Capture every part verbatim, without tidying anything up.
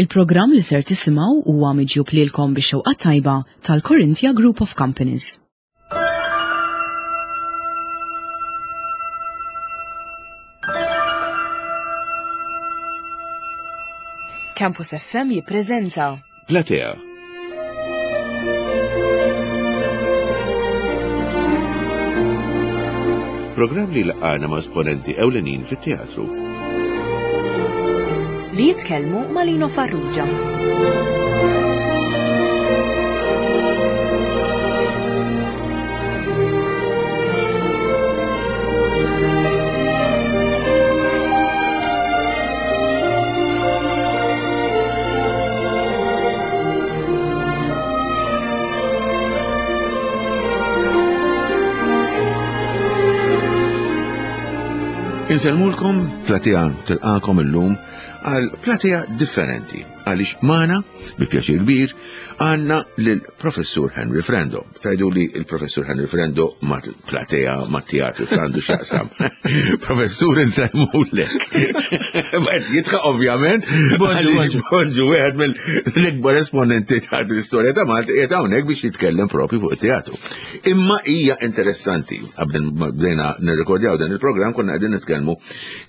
Il-programm li ser tisimgħu huwa miġjub lilkom bix-xewqa tajba tal-Corinthia Group of Companies. Campus F M jippreżenta Platea. Programm li laqgħana ma' esponenti ewlenin fit-teatru. Li jitkellmu ma' Lino Farrugia. Insellmulkom, Platea tilqakom illum għal platea differenti, għaliex magħna, bi pjaċir kbir, għandna lill-Professur Henry Frendo. Tajdu li il-Professur Henry Frendo ma' platea, ma' teatru, għandu x'jaqsam. Professur, insellmulek. Jitħaq ovvjament, għaliex bonġu, wieħed mill-ikbar esponenti ta' l-istorja ta' Malta qiegħed hawnhekk biex jitkellem propju fuq it-teatru. Imma hija interessanti, qabel bdejna nirrekordjaw dan il-programm konna qegħdin nitkellmu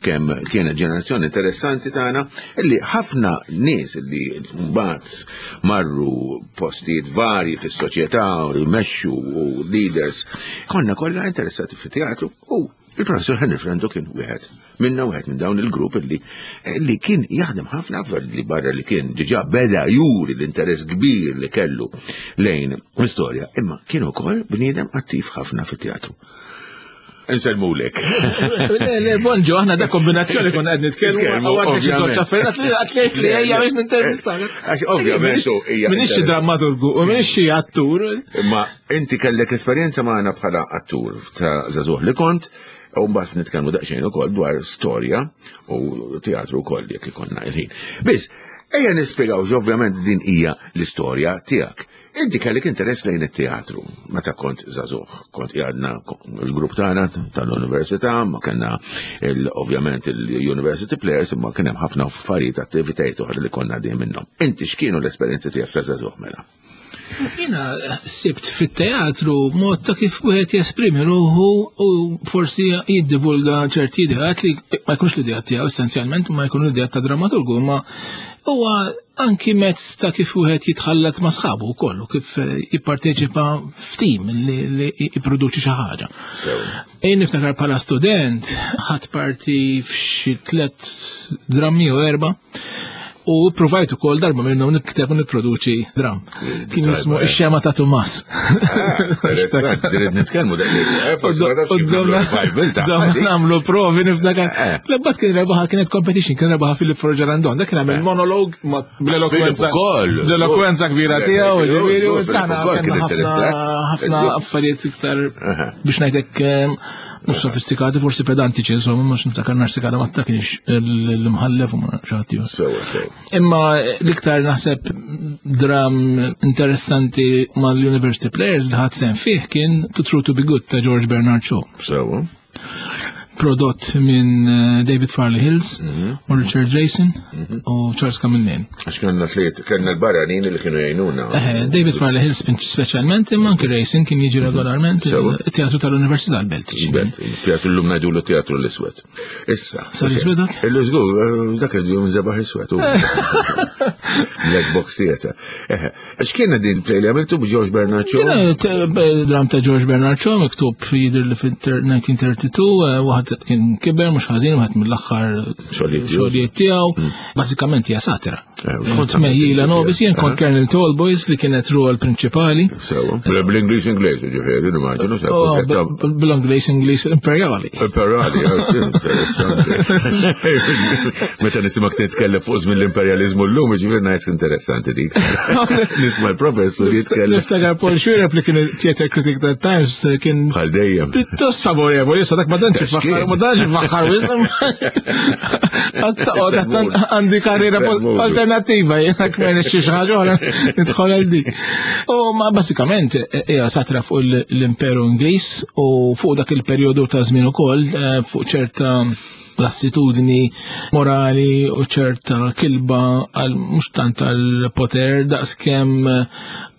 kemm kienet ġenerazzjoni interessanti tagħna illi ħafna nies li mbagħad marru postijiet varji fis-soċjetà, jmexxu u leaders, konna kollha interessati fit-teatru u il-Professur Henry Frendo kien wieħed minna, wieħed minn dawn il-grupp illi, illi kien jaħdem ħafna li barra li kien diġà beda juri l-interess kbir li kellu lejn l-istorja, imma kien ukoll bniedem attiv ħafna fit-teatru. Insellmulek. Le, le, bonġu, aħna da kombinazzjoni konna qed nitkellmu, u għax xi żewġ affarijiet li għatlejt li ejja biex nintervistak. Għax ovvjament u hija Minix xi drammaturgu u minix xi attur. Imma inti kellek esperjenza magħna bħala attur ta' żagħżugħ li kont, u mbagħad nitkellmu daqsxejn ukoll dwar storja u teatru wkoll jekk ikollna il-ħin. Biss, ejja nispjegaw ovvjament din hija l-istorja tiegħek. Inti kellek interess lejn it-teatru meta kont żagħżugħ, kont qiegħdna il-grupp tagħna tal-università, ma kellna il-, ovvjament il-university players, imma kien hemm ħafna affarijiet, attivitajiet oħra li konna għaddejjin minnhom. Inti x'kienu l-esperjenzi tiegħek ta' żagħżugħ mela? Jiena sibt fit-teatru mod ta' kif wieħed jesprimi ruħu u forsi jiddivulga ċerti ideat li ma jkunux l-ideat tiegħu essenzjalment, ma jkunu l-ideat ta' dramaturgu, imma huwa anki mezz ta' kif wieħed jitħallat ma' sħabu wkoll u kif jipparteċipa f'tim li, li jipproduċi xi ħaġa. Sew. Jien niftakar bħala student ħadt parti f'xi tliet drammi u erba' u provajt ukoll darba minnhom nikteb u nipproduċi dram. Kien jismu Ix-Xema ta' Tumas. Ah, interessanti, rrid nitkellmu dak li, eh, forsi ma tafx kif nagħmlu revival ta' Dom ħadi. nagħmlu provi niftakar. Eh. L-ebbat kien rebaħa, kienet competition, kien rebaħa Filip Forġa Randon, dak kien għamel Eh. monolog ma' bl-elokwenza Filip ukoll. bl-elokwenza kbira Eh, tiegħu, Filip ġifieri, u ukoll, Filip tagħna ukoll kien kellna ħafna interessat. ħafna Eżatt. affarijiet iktar Aha. biex ngħidlek, eh, mhux sofistikati, forsi pedantiċi, insomma, mhux niftakar Narsikada ma kienx l-imħallef u ma xi ħadd ieħor. Sewa, sewa. Imma l-iktar naħseb dram interessanti mal-University Players li ħadd sehem fih kien To True to Be Good ta' George Bernard Shaw. Sewa. Prodott minn, eh, David Farley Hills Mhm. u Richard Rayson Mhm. u Charles Camilleri. Għax kellna tliet, kellna l-barranin li kienu jgħinuna. Eh, David Farley Hills speċjalment, imma anke Rayson kien jiġi Mhm. regolarment Sewa. il-teatru tal-Università l-Belt. Belt, teatru l-lum ngħidulu teatru l-Iswed. Issa. Sar iswed dak? Il-żgur, eh, dak il-ġum żebaħ iswed. Black Box Theater. Eh, għax kiena din play li għamiltu b'George Bernard Shaw? Kien, eh, te-, dram ta' George Bernard Shaw miktub jidher li fil-nineteen thirty-two, eh, waħed kien kiber mhux ħażin, waħed mill-aħħar Xogħlijiet tiegħu. xogħlijiet tiegħu. Mm. Bażikament hija satira. Eh, u Kont x'kont mejjila tagħmel nobis, jien kont Aha. Colonel Tallboys li kienet rol prinċipali. Sewa. Bl-Ingliż Ingliż, ġifieri, nimmaġinu, sewa, Oh, kont qed b-, b-, bl-Ingliż Ingliż Imperjali. Imperjali, eh, sì, interessanti. Meta nisimgħek titkellem fuq żmien l-imperjaliżmu llum, ġifieri ngħid interessanti dik. Nisma' l-professur jitkellem. Niftakar Paul Xuereb li kien theater critic ta' Times kien Bħal dejjem. pjuttost favorevoli, issa dak ma tantx Għax kien. ifaħħar, ma tantx ifaħħar wisq. Għandi karriera alternattiva, jiena kmen xi ħaġa oħra nidħol għal dik. U ma basikament hija satra fuq l-Imperu Ingliż u fuq dak il-perjodu ta' żmien ukoll, eh, fuq ċerta Lassitudni morali u ċerta kilba għal mhux tant għal poter daqskemm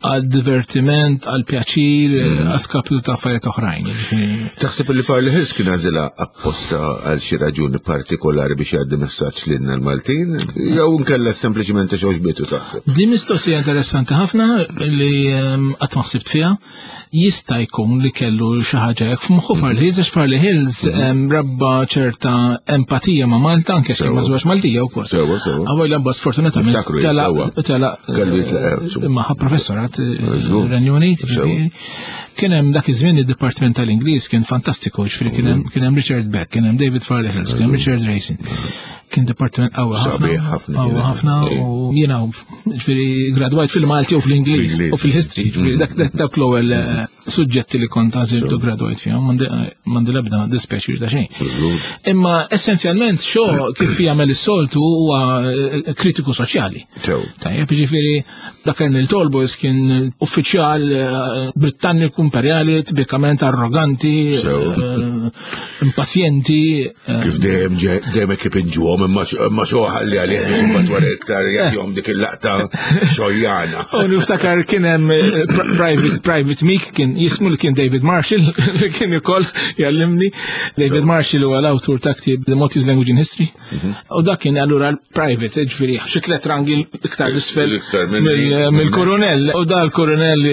għal divertiment, għal pjaċir, għaskapitu ta' affarijiet oħrajn. Jiġifieri. Taħseb li Farley Hills kien għażilha apposta għal xi raġuni partikolari biex jgħaddi messaġġ lilna l-Maltin, jew nkella sempliċement għax għoġbitu taħseb? Din mistoqsija interessanti ħafna li ehm, qatt ma ħsibt fiha. Jista' jkun li kellu xi ħaġa hekk f'moħħu Farley Hills, għax Farley Hills ehm, rabba ċerta empatija ma' Malta, anke x'kien Sewa. mażwax Maltija wkoll. Sewa, sewa. Għawaj labba sfortunatament Niftakru, tela sewa. tela Kellu jitlaq, eh, maħa professorat eh, Żgur. Renju Unit. Sewa. ġifieri. Kien hemm dak iż-żmien id-Dipartiment tal-Ingliż kien fantastiku, ġifieri kien hemm kien hemm Richard Beck, kien hemm David Farley Hills, kien hemm Richard Racing. Kien dipartiment qawwi ħafna. Sabiħ ħafna Qawwi kien. ħafna u jiena ġifieri gradwajt fil-Malti u fl-Ingliż Fl-Ingliż. u fil-history, ġifieri dak dak dak l-ewwel eh, suġġetti li kont għażilt u gradwajt fihom, m'għandi l-ebda dispjaċir ta' xejn. Żgur. Imma essenzjalment Shaw kif jagħmel is-soltu huwa eh, kritiku soċjali. Sew. Tajjeb, ġifieri dak Colonel Talboys kien uffiċjal eh, Britanniku imperjali, tipikament arroganti, Sew. eh, impazjenti. eh, Kif dejjem ġe- dejjem hekk ipinġuhom imma imma xoħal li għalih biex imbagħad wara iktar jagħtihom dik il-laqta xojjana. U niftakar kien hemm eh, pri- private private Meek kien jismu li kien David Marshall li kien ukoll jgħallimni. David Marshall huwa l-awtur ta' ktieb The Maltese Language in History. U dak kien allura private, ġifieri xi tliet rangi iktar isfel Iktar minn- mill- mill-koronell. U da l-koronell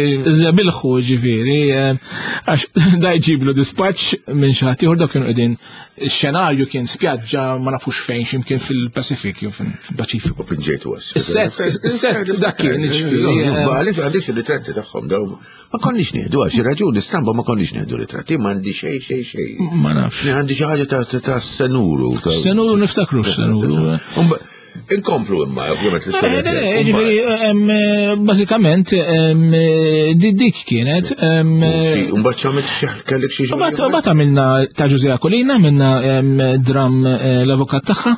żebilħu ġifieri eh, għax da jġiblu dispatch minn xi ħadd ieħor dak kienu qegħdin ix-xenarju kien spjaġġa ma nafux fejn x'imkien fil-Pacific jew fil-Paċifiku. U pinġejtu għas. Is-set, is-set dak kien, ġifieri, eh. Għalix għandix il-ritratti tagħhom daw. Ma konniex nieħdu għal xi raġuni stampa ma konniex nieħdu ritratti, m'għandi xejn xejn xejn. Ma nafx. Għandi xi ħaġa ta' ta' senuru. ta' Senuru niftakru senuru. Umba- Inkomplu imma, ovvjament Eh, l-istorja. le, le, ġifieri, em, eh, Bażikament, em, eh, di- dik kienet. em, eh, Umbagħad x'għamilt xi kellek xi Mbagħad mbagħad għamilna ta' Ġużè Aquilina, għamilna em, dram eh, l-avukat tagħha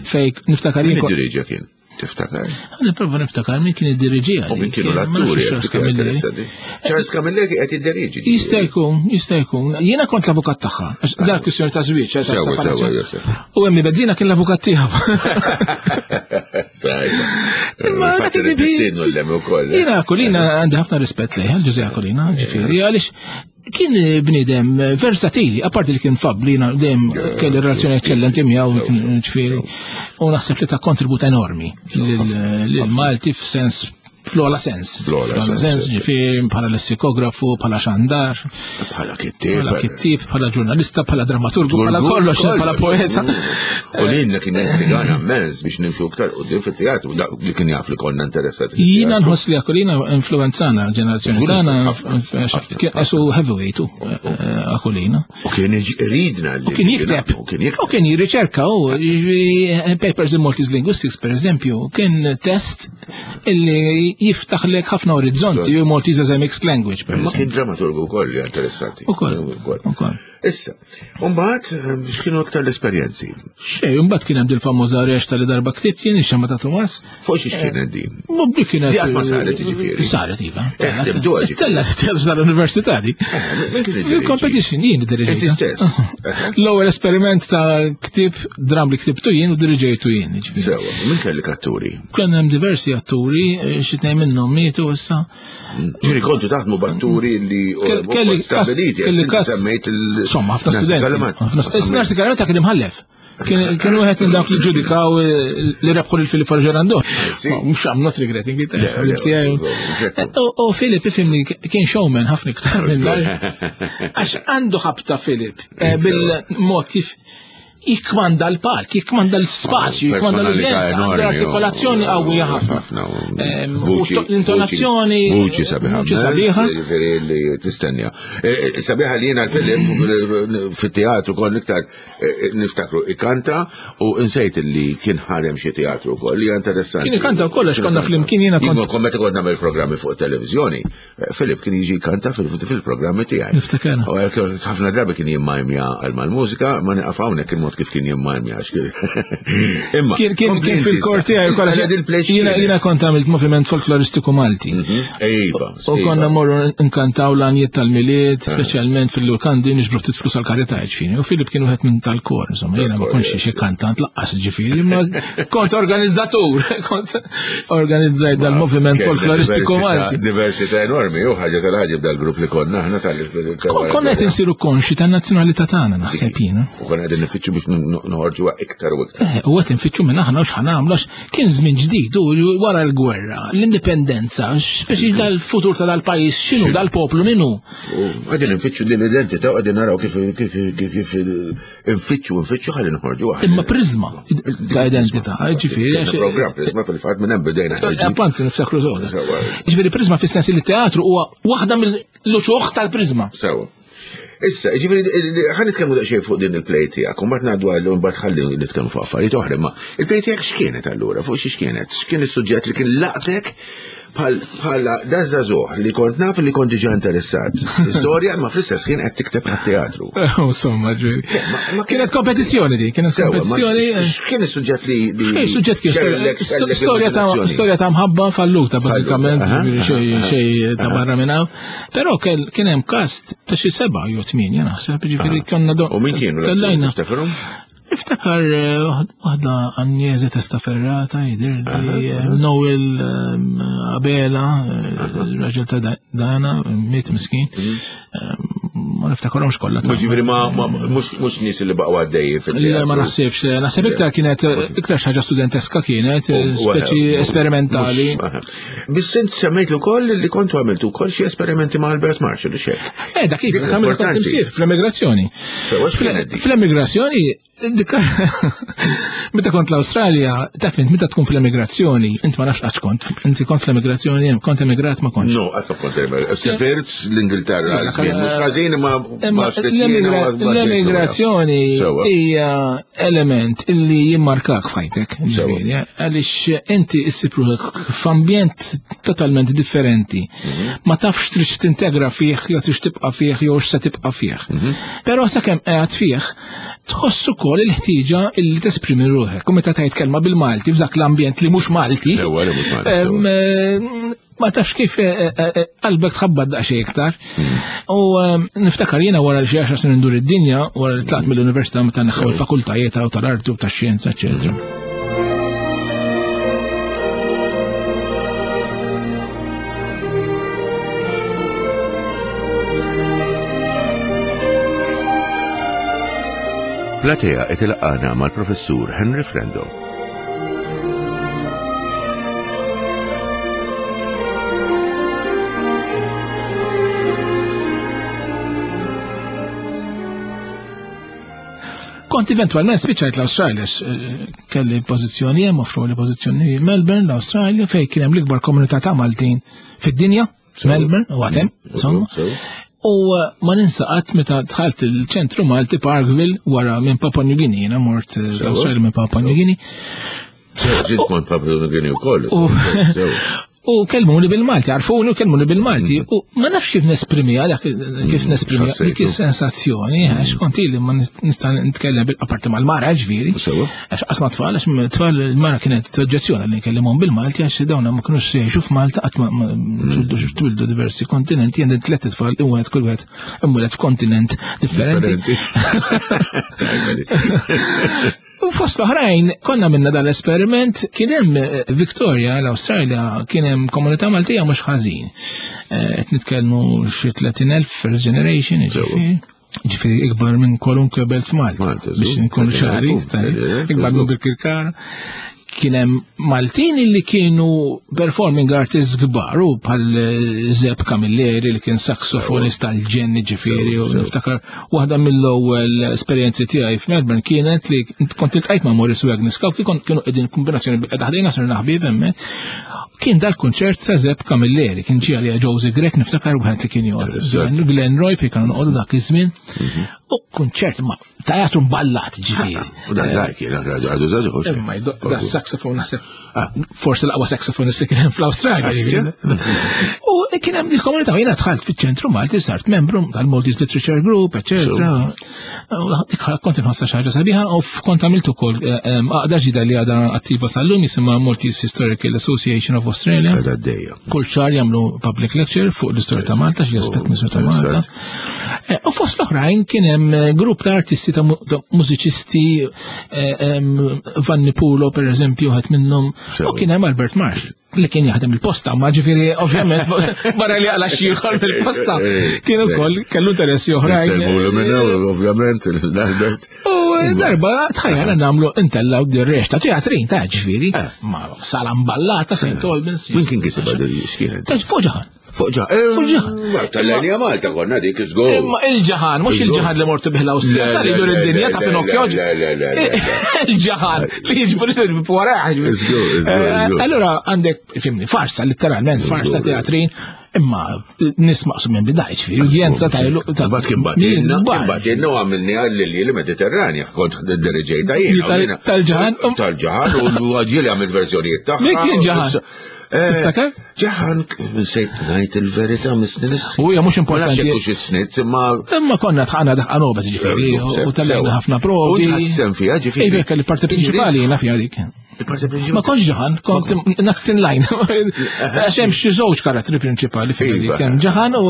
fej niftakar Min jien id-diriġa kien? Tiftakar? Nipprova niftakar min kien iddiriġiha. U min dik, kienu ma nafx l-atturi? Charles Camilleri. Charles Camilleri qed jidderieġi. Jista' jkun, jista' jkun. Jiena kont l-avukat tagħha. għax Dan kwistjoni ta' żwieġ, ta' Sewa, sewa, separazzjoni. sewa. U Emmy Bezzina kien l-avukat tiegħu. Tajba. Imma dak Infatti id-dibi- nistiednu l-lem ukoll. eh. Jiena Aquilina għandi ħafna rispett lejha, Ġużè Aquilina, ġifieri, għaliex kien bniedem versatili, apparti li kien fabbli, jiena dejjem kelli relazzjoni eccellenti miegħu, ġifieri, u naħseb li ta' kontribut enormi lil Malti f'sens fl-ogħla sens. Fl-ogħla Fl-ogħla sens, sens, ġifieri, bħala lessikografu, bħala xandar, Bħala kittieb. bħala kittieb, bħala ġurnalista, bħala dramaturgu, bħala kollox, bħala poeta. U lilna kien jinsigana immens biex nimxu iktar quddiem fit-teatru, dak li kien jaf li konna interessati. Jiena nħoss li Aquilina influenzana l-ġenerazzjoni Żgur, tagħna ħafna, ħafna. kien qisu heavyweight hu, eh, Aquilina. U kien iridna li. U kien jikteb. U kien jikteb. U kien jirriċerka u jiġifieri, Papers in Maltese Linguistics per eżempju, kien test illi jiftaħlek ħafna orizzonti u Maltese as a mixed language per Ma kien eżempju. dramaturgu wkoll li interessanti. Ukoll, ukoll. Issa, mbagħad x'kienu aktar l-esperjenzi? Xej, mbagħad kien hemm dil-famuża reċta li darba ktibt jien ix-xemgħa ta' Tumas. Fuq xiex kienet din? Mobli kienet. Di qatt ma saret, jiġifieri. Saret, iva. Eh, ħdimtuha, ġifieri. Tella teatru tal-università di. Min kien id-diriġi? Il-competition jien diriġejta. Inti stess. L-ewwel esperiment ta' ktib dram li ktibtu jien u diriġejtu jien. jiġifieri. Sewa, min kellek atturi? Kien hemm diversi atturi, eh, xi tnejn minnhom mietu issa. Ġifieri kontu taħdmu b'atturi li Kell- kelli kast- stabiliti, kelli kast- semmejt il- Insomma, ħafna Nancy studenti. Kalamat. Ħafna Narsi Kalamat ta' kien imħallef. Kien kien wieħed minn dawk li ġudikaw eh, li rebħu lil Filip Fargerando. sì. Mhux I'm not regretting it. Le, le, Ħabib tiegħi. U u Filip ifhimni kien showman ħafna iktar minn Għax għandu ħabta Filip eh, bil-mod kif jikkmanda l-palk, jikkmanda l-spazju, jikkmanda Personalità l-udjenza, għandu enormi, artikolazzjoni u- qawwija ħafna. ħafna, u- Em, u vuċi- to- L-intonazzjoni. Vuċi sabiħa. Vuċi sabiħa. Ġifieri li tistenja. Eh, eh, Sabiħa li jiena l-Filip fit-teatru kon iktar eh, niftakru ikanta u insejt li kien ħadem xi teatru wkoll li hija interessanti. Kien ikanta wkoll għax konna flimkien jiena kont- Jien kont meta kont nagħmel programmi fuq televizjoni, eh, Filip kien jiġi kanta fil- fil-programmi tiegħi. Niftakar. U hekk ħafna drabi kien jimmajmja għal mal-mużika, ma nieqaf hawnhekk il-mod il-mod kif kien jimmarmi għax. Imma. Kien kien kien fil-kor tiegħi wkoll. Jiena kont għamilt moviment folkloristiku Malti. Iva. U konna morru nkantaw l-għanjiet tal-Milied, speċjalment fil-lukandi niġbru ftit flus għall-karità ġifieri. U Filip kien wieħed minn tal-kor, insomma, jiena ma kontx xi kantant laqqas ġifieri, imma kont organizzatur, kont organizzajt dal-moviment folkloristiku Malti. Diversità enormi, u ħaġa tal-ħaġib dal-grupp li konna aħna tal Konna qed insiru konxi tan-nazzjonalità tagħna naħseb jiena. U konna qegħdin nifittxu biex noħorġuha iktar u iktar. Eh, u qed infittxu minn aħna u x'ħa nagħmlu kien żmien ġdid u wara l-gwerra, l-indipendenza, speċi dal-futur ta' dal-pajjiż x'inhu dal-poplu min hu. Qegħdin infittxu din l-identità u qegħdin naraw kif kif infittxu infittxu ħalli noħorġu. Imma prizma ta' identità, ġifieri. Programm prizma fil-fatt minn hemm bdejna. Appunti niftakru sew. Ġifieri prizma fis-sens li t-teatru huwa waħda mill-uċuħ tal-prizma. Sewa. Issa, ġifieri, ħa nitkellmu daqsxejn fuq din il-play tiegħek, u mbagħad ngħaddu għal mbagħad ħalli nitkellmu fuq affarijiet oħra, imma il-play tiegħek x'kienet allura, fuq xi x'kienet? X'kien is-suġġett li kien laqtek bħala dażżagħżugħ li kont naf li kont diġà interessat. Istorja imma fl-istess kien qed tikteb għat-teatru. Insomma, ġifieri. Kienet kompetizzjoni di, kienet kompetizzjoni. X'kien is-suġġett li X'kien is-suġġett kien storja ta' storja ta' mħabba falluta bażikament, xejn ta' barra minn hawn. Però kien hemm kast ta' xi seba' jew tmienja naħseb, ġifieri konna U min kienu? Tiftakarhom? Niftakar waħda Agnese Testaferrata, jidir li Noel Abela, raġel ta' Dana, miet miskin. Ma niftakarhomx kollha. Ġifieri ma mhux nies li baqgħu għaddejjin fil Le ma naħsibx, naħseb iktar kienet iktar xi ħaġa studenteska kienet, speċi esperimentali. Biss int semmejt ukoll li kontu għamiltu wkoll xi esperimenti ma' Albert Marshall u xejn. Eh dak kif għamilt timsir fl-emigrazzjoni. Fl-emigrazzjoni meta kont l-Awstralja, taf int meta tkun fl-emigrazzjoni, int ma nafx qatt kont, inti kont fl-emigrazzjoni, kont emigrat ma kontx. No, qatt ma kont emigrat. Sifirt l-Ingilterra għal żmien, mhux ħażin imma l-emigrazzjoni hija element illi jimmarkak f'ħajtek, ġifieri, għaliex inti issib ruħek f'ambjent totalment differenti. Ma tafx trid tintegra fih, jew trid tibqa' fih, jew x'se tibqa' fih. Però sakemm qiegħed fih, tħoss ukoll il-ħtieġa illi tesprimi ruħek. U meta tgħid kelma bil-Malti f'dak l-ambjent li mhux Malti, ma tafx kif qalbek tħabbat daqsxejn iktar. U niftakar jiena wara xi għaxar snin ndur id-dinja, wara li tlaqt mill-università meta neħħew il-fakultajiet u tal-arti u tax-xjenza, eċċetera. Platea qed ilqana mal-Professur Henry Frendo. Kont eventwalment spiċċajt l-Awstralja, kelli pożizzjoni hemm, offru li pożizzjoni Melbourne, l-Awstralja, fejn kien hemm l-ikbar komunità ta' Maltin fid-dinja, Melbourne, u għad hemm, insomma. U ma ninsa qatt meta dħalt il-ċentru Malti Parkville wara minn Papua New Guinea, jiena mort l-Awstralja minn Papua New Guinea. Ġiet kont Papua New Guinea wkoll. U kellmuni bil-Malti, għarfuni u kellmuni bil-Malti. U ma nafx kif nesprimiha, kif nesprimiha dik is-sensazzjoni, għax kont ili ma nista' nitkellem bil-apparti mal-mara ġifieri. Għax qas ma tfal, għax tfal il-mara kienet toġġezzjona li nkellimhom bil-Malti għax dawn ma kinux jgħixu f'Malta qatt ma twildu diversi kontinenti, għandi tliet tfal u wieħed kull wieħed imwieled f'kontinent differenti. U fost l-oħrajn, konna minna dal-esperiment, kien hemm Victoria, l-Awstralja, kien hemm komunità Maltija mhux ħażin. Qed nitkellmu xi tletin elf first generation, ġifieri. Ġifieri ikbar minn kwalunkwe belt f'Malta, biex nkunu ċari, ikbar minn Birkirkara. Kien hemm Maltin li kienu performing artists kbar u bħal Zeb Camilleri li kien saksofonist tal-ġenni ġifieri u niftakar waħda mill-ewwel esperjenzi tiegħi f'Melbourne kienet li kont iltqajt ma' Maurice Wagner Cauchi kienu qegħdin kombinazzjoni bil-qeda ħdejna sirna ħbieb hemmhekk. Kien dal-kunċert ta' Zeb Camilleri, kien ġie għalija Josie Grech, niftakar wieħed li kien joqgħod. Glenn Roy fejn kienu noqogħdu dak iż-żmien. U kunċert ma teatru mballat ġifieri. U dan żgħir kien għadu żagħżugħ. Imma da saxofon naħseb Forsi l-aqwa saxofonist li kien hemm fl-Awstralja. U kien hemm il-komunità, jiena dħalt fiċ-ċentru Malti, sart membru tal-Maltese Literature Group, eċetera. Dik kont inħossha xi ħaġa sabiħa u kont għamilt ukoll għaqda ġdida li għadha attiva sal-lum jisimha Maltese Historical Association of Australia. Kull xahar jagħmlu public lecture fuq l-istorja ta' Malta, xi aspett mis-istorja ta' Malta. U fost l-oħrajn kien hemm grupp ta' artisti ta' mużiċisti, Vanni Pulo per eżempju, ħadd minnhom, u kien hemm Albert Marsh li kien jaħdem il-posta, ma ġifieri ovvjament barra li għala xi ieħor mill-posta kien ukoll kellu interessi oħrajn. Insellmulu minn ovvjament l-Albert. U darba tħajjana nagħmlu intellaw dir-reċta teatrin ta' ġifieri, ma sala mballata Saint Albans. Min kien kisibha x'kienet? Ta' fuq ġaħan. Fuq ġaħan. Tal-Lenja Malta konna dik iżgur. Imma il-ġaħan, mhux il-ġaħan li mortu bih l-Awstrija, tal idur id-dinja ta' Pinocchio. Il-ġaħan li jiġbru wara. Allura għandek, fimni, farsa, letteralment, farsa teatrin. Imma nis maqsum minn bidaj, ġifieri, udjenza ta' Bat kien batilna, kien batilna u għamilni għall-li Mediterranja, kont diriġejta jiena. Tal-ġaħan? Tal-ġaħan, u għagġili għamilt verżjonijiet tagħha. Min kien ġaħan? Tiftakar? Ġaħan, nsejt ngħid il-verità misni. U hija mhux importanti. Ma nafx is-snitz, imma. Imma konna tħana daħqan bas ġifieri, u tellejna ħafna provi. U tħassem fiha ġifieri. Ejja kelli parti prinċipali jiena fiha dik. Ma kontx ġaħan, kont next in line. Għax hemm xi żewġ karattri prinċipali fiha dik. Hemm ġaħan u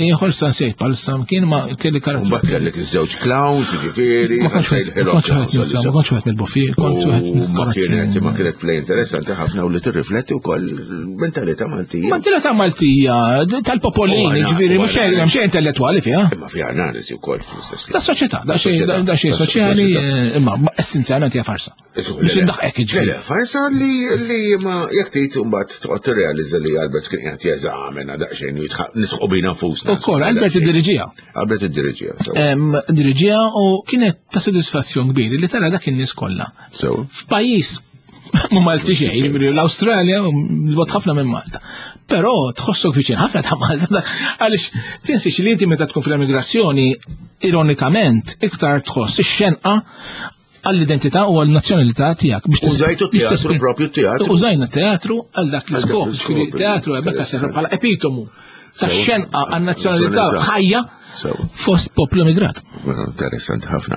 ieħor sansejt bħalissa kien ma kelli karattri. Mbagħad kellek iż-żewġ clowns, ġifieri. Ma kontx wieħed mill-buffet, kont wieħed mill-karattri. Ma kienet play interessanti ħafna u li tirrifletti wkoll mentalità Maltija. Mentalità Maltija, tal-popolini, ġifieri, mhux hemm xejn intellettwali fiha. Imma fiha analiżi wkoll fl-istess. Da soċjetà, da xejn soċjali, imma essenzjalment hija farsa. Biex indaħqek ġifieri. Farsa li ma jekk trid imbagħad toqgħod tirrealizza li Albert kien qiegħed jeżamina daqsxejn u nidħqu bina nfusna. Ukoll Albert iddiriġiha. Albert iddiriġiha. Diriġiha u kienet ta' sodisfazzjon kbir li tara dak in-nies kollha. F'pajjiż mu Malti xejn, l-Awstralja l-bogħod ħafna minn Malta. Però tħossok viċin ħafna ta' Malta, għaliex tinsiex li inti meta tkun fl-emigrazzjoni, ironikament, iktar tħoss ix-xenqa għall-identità u għall-nazzjonalità tiegħek. Użajtu teatru propju teatru. Użajna teatru għal dak l-iskop, teatru hemmhekk serve bħala epitomu tax-xenqa għan-nazzjonalità ħajja fost poplu migrat. Interessanti ħafna.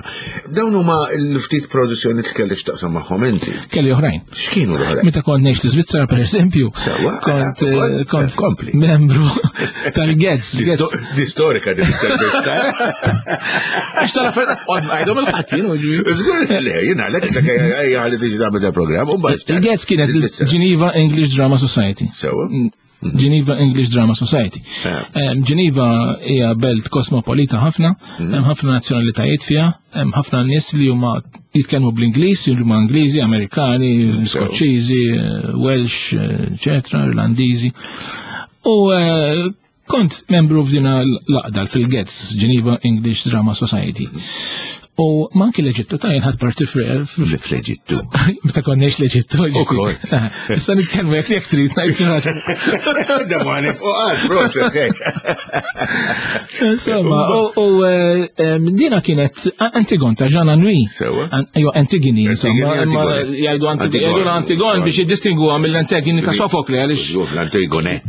Dawn huma l-ftit produzzjoni li kellek x'taqsam magħhom inti. Kelli oħrajn. X'kienu l-oħrajn? Meta kont ngħix l-Iżvizzera pereżempju, kont kont membru tal-Geds. Di storika din it-intervista. Għax tal-affarijiet għajdhom il-ħadd jien. Żgur le, jien għalhekk ejja li tiġi tagħmel dal-programm u mbagħad. Il-Geds kienet Geneva English Drama Society. Sewa. Geneva English Drama Society. Geneva hija belt kosmopolita ħafna, hemm ħafna nazzjonalitajiet fiha, hemm ħafna nies li huma jitkellmu bl-Ingliż, li huma Ingliżi, Amerikani, Skoċċiżi, Welsh, eċetera, Irlandiżi. U kont membru f'dina l-aqdal fil-Geds, Geneva English Drama Society. U ma anki l-Eġittu ta' jien ħadd parti fl-Eġittu. Meta konniex l-Eġittu. Ukoll. Issa nitkellmu jekk jekk trid ngħid xi ħaġa. Da ma nifqu għal proset. Insomma, u dina kienet Antigon ta' Jean Anouilh. Sewa. Ejwa Antigoni, insomma, jgħidu Antigon biex jiddistingwuha mill-Antigoni ta' Sofokle għaliex. L-Antigone.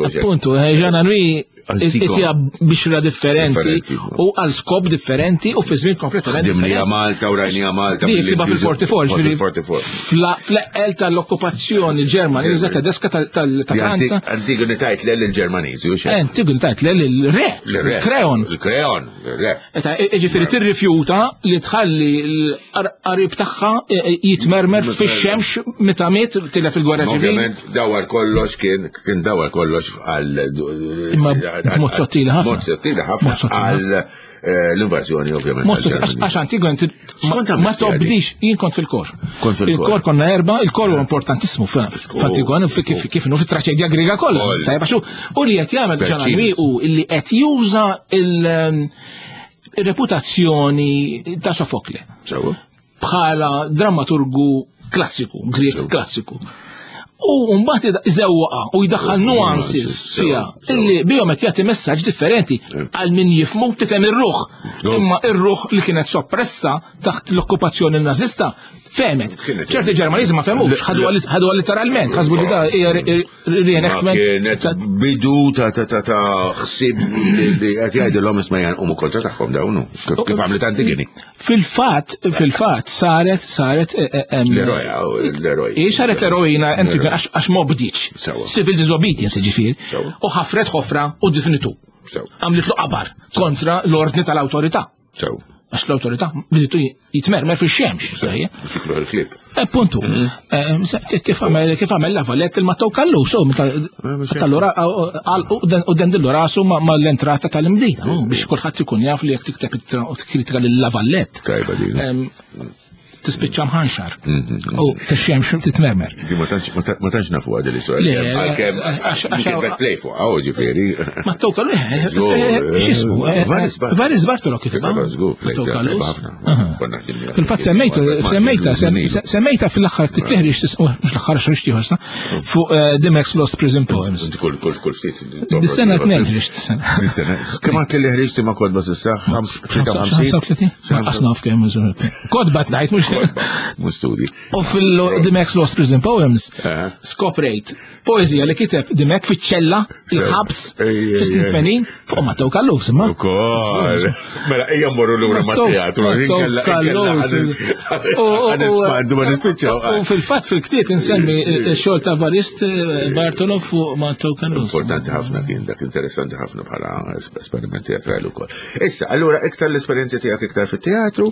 Appuntu, Jean Anouilh itija bixra differenti u għal skop differenti u fi żmien kompletament differenti. Dimnija Malta u rajnija Malta. Dik tiba fil-forty-four, fl-eqqel tal-okkupazzjoni Ġermaniża tedeska ta' Franza. Antigoni tajt lel il-Ġermaniżi u xejn. Antigoni tajt lel il-re, il-Kreon. Il-Kreon, il-re. Ġifieri tirrifjuta li tħalli l-qarib tagħha jitmermer fix-xemx meta miet tilef il-gwerra ċivili. Ovvjament dawar kollox kien kien dawar kollox għal Mod sottili ħafna. Mod sottili ħafna għal l-invażjoni ovvjament. Mod sottili għax Antigon ma tobdix, jien kont fil-kor. Il-kor konna erba, il-kor huwa importantissimu f'Antigon kif kif inhu fit-traċedja Griega kollha. Tajjeb għax u li qed jagħmel Jean Anouilh u li qed juża il-reputazzjoni ta' Sofokle. Bħala drammaturgu klassiku, Grieg klassiku. U mbagħad iżewwaqa u jdaħħal nuances fiha illi bihom qed jagħti messaġġ differenti għal min jifhmu tifhem ir-ruħ. Imma ir-ruħ li kienet soppressa taħt l-okkupazzjoni nażista Fehmet. Ċerti Ġermaniżi ma fehmux, ħadu literalment, ħasbu li da hija reenactment. Kienet bidu ta' ta' ta' ta' ħsieb li qed jgħidilhom isma' janqumu kontra tagħhom dawn. Kif għamlet Antigoni. Fil-fatt, fil-fatt saret saret l-eroja, l-eroj. Hi saret eroina Antigone għax ma bdietx. Civil disobedience ġifier. U ħafret ħofra u difnitu. Għamlitlu qabar kontra l-ordni tal-awtorità. Sew. Għax l-autorità biditu jitmermer fix-xemx. Xiklu l-klib. Puntu. Kif għamel La Valette il-Mattew Callus, allura u dendillu rasu ma l-entrata tal-Imdina, biex kulħadd ikun jaf li jekk tikteb kritika lil La Valette. Tajba din. Tispiċċa mħanxar. U fix-xemx titmermer. Ma tantx nafu għad l-istorja. Għalkemm kitbet play fuq, għaw ġifieri. Mattew Callus, x'ismu? Varis Bartolo kitibha. Fil-fatt semmejtu, semmejta, semmejta fil-aħħar ktieb li ħriġt, mhux l-aħħar x'ħriġt ieħor sa, fuq Dimech's Lost Prison Poems. Kull kull kull ftit. Dis-sena tnejn ħriġt is-sena. Dis-sena. Kemm għad li ħriġti ma' kotba s'issa? tlieta u ħamsin? Qas naf kemm. Kotba tnajt mhux Mustudi. U fil-Dimech's Lost Prison Poems skoprejt poezija li kiteb Dimech fiċ-ċella il-ħabs fis-snin tmenin fuq Mattew Callus imma. Ukoll. Mela ejja mmorru lura mat-teatru. Nispandu ma nispiċċaw. U fil-fatt fil-ktieb insemmi x-xogħol ta' Varist Bartolo fuq Mattew Callus. Importanti ħafna kien dak, interessanti ħafna bħala esperiment teatrali wkoll. Issa, allura iktar l-esperjenza tiegħek iktar fit-teatru,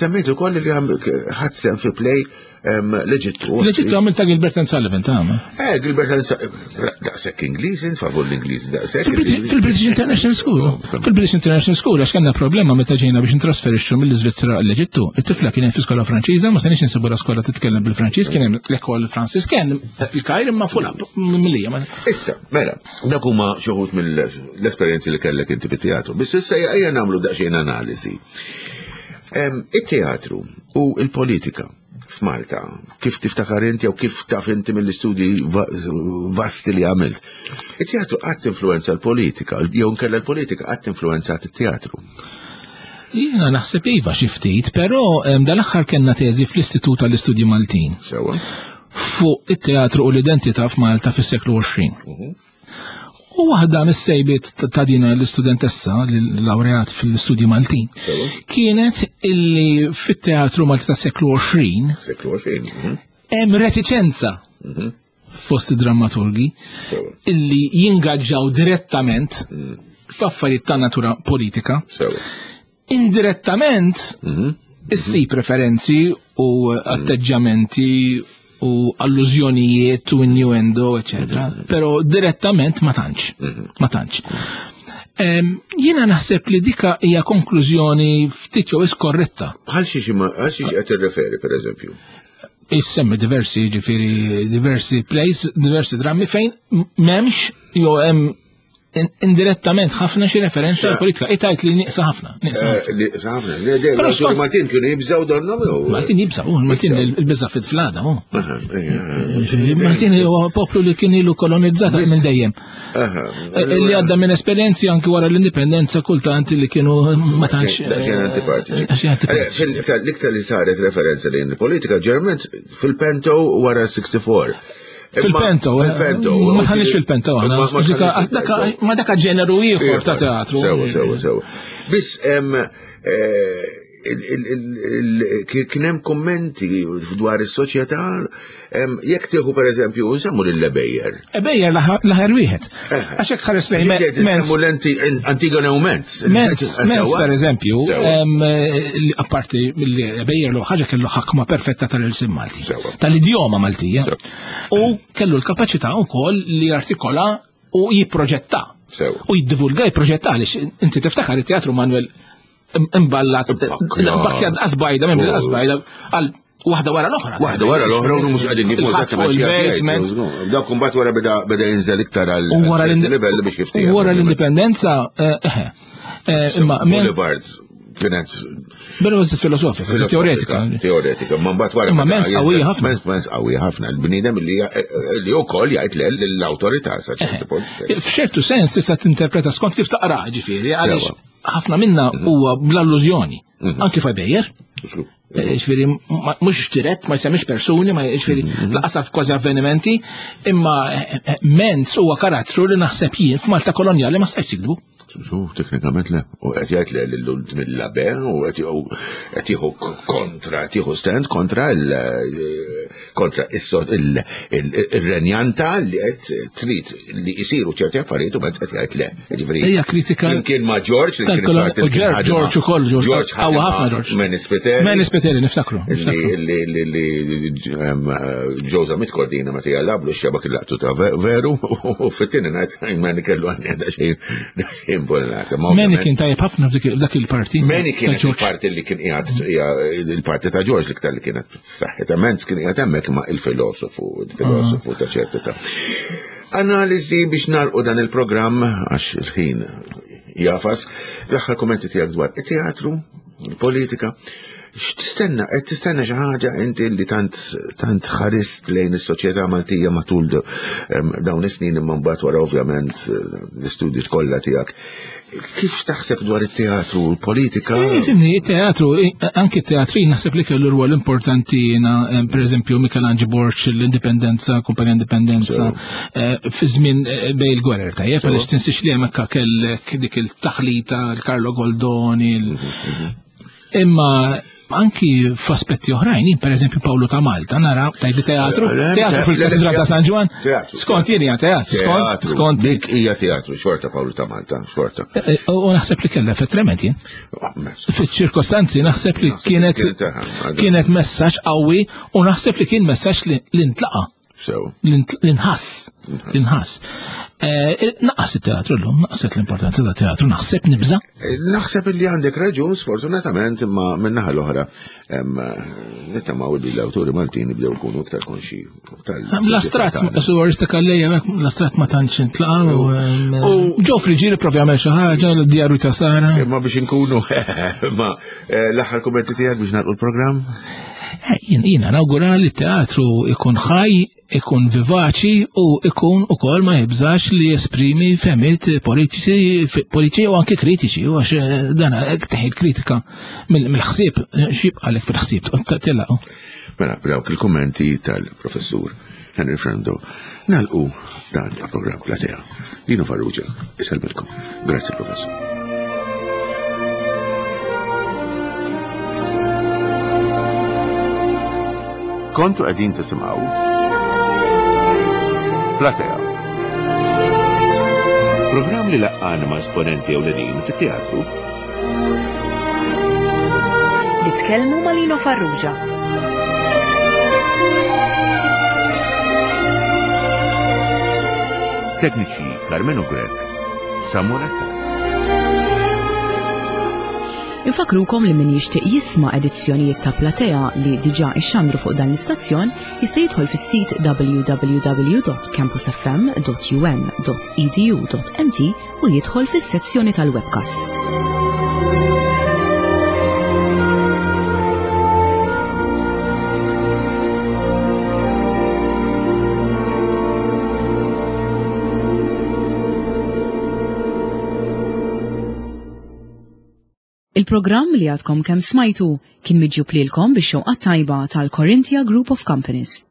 semmejt ukoll li ħadd sehem fi play l-Eġittu. L-Eġittu għamil ta' Gilbert and Sullivan, ta' għamil. Eh, Gilbert and Sullivan, daqshekk Ingliż, int favur l-Ingliż, daqshekk. Fil-British International School. Fil-British International School, għax kellna problema meta ġejna biex intrasferixxu mill-Iżvizzera l-Eġittu. It-tifla kien fi skola Franċiża, ma stajniex insibu la skola titkellem bil-Franċiż, kien hemm l-ekol Francis, kien il-Kajr imma full up millija. Issa, mela, dak huma xi wħud mill-esperjenzi li kellek inti fit-teatru. Biss issa ejja nagħmlu daqsxejn analiżi. It-teatru u l-politika f'Malta, kif tiftakar inti jew kif taf inti mill-istudji vasti li għamilt. It-teatru qatt influenza l-politika, jew nkella l-politika qatt influenzat it-teatru. Jiena naħseb iva xi ftit, però dal-aħħar kellna teżi fl-Istitut tal-Istudji Maltin. Sewa. Fuq it-teatru u l-identità f'Malta fis-seklu għoxrin. U waħda mis-sejbiet ta' dina l-istudentessa li laureat fil-istudji Maltin kienet illi fit-teatru Malti tas seklu għoxrin Seklu għoxrin. hemm reticenza fost id-drammaturgi illi jingaġġaw direttament f'affarijiet ta' natura politika. Indirettament issib referenzi u atteġġamenti u allużjonijiet u innuendo, eccetera. Però direttament ma tantx. Ma tantx. Jiena naħseb li dika hija konklużjoni ftit jew iskorretta. Għal xiex għal xiex qed tirreferi, per eżempju? Issemmi diversi, ġifieri diversi plays, diversi drammi fejn m'hemmx jew hemm indirettament ħafna xi referenza għal politika. Itajt li nieqsa ħafna, nieqsa ħafna. Nieqsa ħafna. Però skont Maltin kienu jibżgħu donnhom jew? Maltin jibżgħu, Maltin il-biża' fil-flada, hu. Maltin huwa poplu li kien ilu kolonizzat minn dejjem. Li għadda minn esperjenzi anki wara l-indipendenza kultant li kienu ma tantx. Daqsxejn antipatiċi. L-iktar li saret referenza lejn il-politika ġeneralment fil-Pento wara sixty-four. Fil-Pento, ma ħallix fil-Pento, ma daka ġeneru ieħor ta' teatru. Sewa, sewa, sewa. Biss kien hemm kummenti dwar is-soċjetà, jekk tieħu pereżempju nsemmu lil Ebejjer. Ebejjer l-aħħar wieħed. Għax hekk tħares lejn Mens. Antigone u Mens. Mens, pereżempju, apparti li Ebejjer l ħaġa kellu ħakma perfetta tal-ilsien Malti, tal-idjoma Maltija. U kellu l-kapaċità wkoll li jartikola u jipproġetta. U jiddivulga jipproġetta għaliex inti tiftakar it-teatru Manuel imballat, bakjad qasbajda, minn qasbajda, għal waħda wara l-oħra. Waħda wara l-oħra u mhux qegħdin jifhmu eżattament xi jgħidu. Dak imbagħad wara beda beda jinżel iktar għal livell biex jiftiehem. Wara l-indipendenza, imma Boulevards kienet Però filosofika, teoretika. Teoretika, ma mbagħad wara. Imma mens qawwija ħafna. Mens mens qawwija ħafna, il-bniedem li li wkoll jgħid l-awtorità sa ċertu punt. F'ċertu sens tista' tinterpreta skont kif taqra, ġifieri, għaliex ħafna minna huwa bl-allużjoni. Anki f'Ebejjer. Ġifieri mhux dirett, ma jsemmix persuni, ma ġifieri laqasaf kważi avvenimenti, imma Menz huwa karattru li naħseb jien f'Malta kolonjali ma stajtx tiktbu. Su, teknikament le. U qed jgħid le mill-labe u qed jieħu kontra, qed jieħu stand kontra il kontra il-renjanta li qed trid li jsiru ċerti affarijiet u Menz qed jgħid le. Ġifieri. Hija kritika. Kien ma' George, li kien parti George ukoll, George. Qawwa ħafna George. Manny Spiteri. Manny Spiteri, niftakru. Li li li Joe Zammit Cordina ma tija lablu xeba kien laqtu ta' veru u fit-tieni ngħid Manny kellu għandi xejn xejn. Manny kien tajjeb ħafna f'dak il-parti. Manny kienet il-parti li kien qiegħed il-parti ta' George l-iktar li kienet saħħitha. Menz kien qiegħed hemmhekk ma' il-filosofu, il-filosofu ta' ċerta ta' analiżi biex nagħlqu dan il-programm għax il-ħin jafas. L-aħħar kummenti tiegħek dwar it-teatru, il-politika. X'tistenna? Qed tistenna xi ħaġa inti li tant tant ħarist lejn is-soċjetà Maltija matul dawn is-snin imma mbagħad wara ovvjament l-istudji kollha tiegħek. Kif taħseb dwar it-teatru u l-politika? Fimni, it-teatru, anki t-teatrin naħseb li kellu rwol importanti, per eżempju Michelangelo Borg, l-Indipendenza, Kumpanija Indipendenza, fi żmien bej il-gwerer tajjeb, għaliex tinsiex li hemmhekk kellek dik il-taħlita, l-Carlo Goldoni, imma anki f'aspetti oħrajn, jien per eżempju Pawlu ta' Malta, nara tajt li teatru, teatru fil-Katedral ta' San Ġwann, skont jien hija teatru, skont, skont. Dik hija teatru, xorta Pawlu ta' Malta, xorta. U naħseb li kellha effett trement jien. Fiċ-ċirkostanzi naħseb li kienet kienet messaġġ qawwi u naħseb li kien messaġġ li ntlaqa. L-inħass, l-inħass. Naqas it-teatru l-lum, naqset l-importanza ta' teatru, naħseb nibża. Naħseb li għandek raġun, sfortunatament, imma min-naħa l-oħra nittamaw li l-awturi Maltin jibdew ikunu iktar konxi. L-astrat, su Orista Calleja, l-astrat ma tantx intlaqa. Ġofri ġieli provi għamel xi ħaġa, l-djarju ta' Sara. Imma biex inkunu, ma l-aħħar kummenti tiegħek biex nagħlqu l-programm? Jiena nawgura li t-teatru ikun ħaj, ikun vivaċi u ikun ukoll ma jibżax li jesprimi fehmiet politiċi politiċi u anke kritiċi, u għax dan hekk teħid kritika mill-ħsieb, x'jibqalek fil-ħsieb tilaqgħu. Mela, b'dawk il-kummenti tal-professur Henry Frendo nagħlqu dan il-programm Platea. Lino Farrugia, isellmilkom. Grazzi professur. Kontu qegħdin tisimgħu Platea. Programm li laqqana ma' esponenti ewlenin fit-teatru. Li tkellmu ma' Lino Farrugia. Tekniċi Carmenu Grech, Samuel Attat. Infakrukom li min jixtieq jisma' edizzjonijiet ta' Platea li diġà ixxandru fuq dan l-istazzjon jista' jidħol fis-sit w w w dot campus f m dot u m dot e d u dot m t u jidħol fis-sezzjoni tal-webcast. Il-programm li għadkom kemm smajtu kien miġjub lilkom bix-xewqa tajba tal-Corinthia Group of Companies.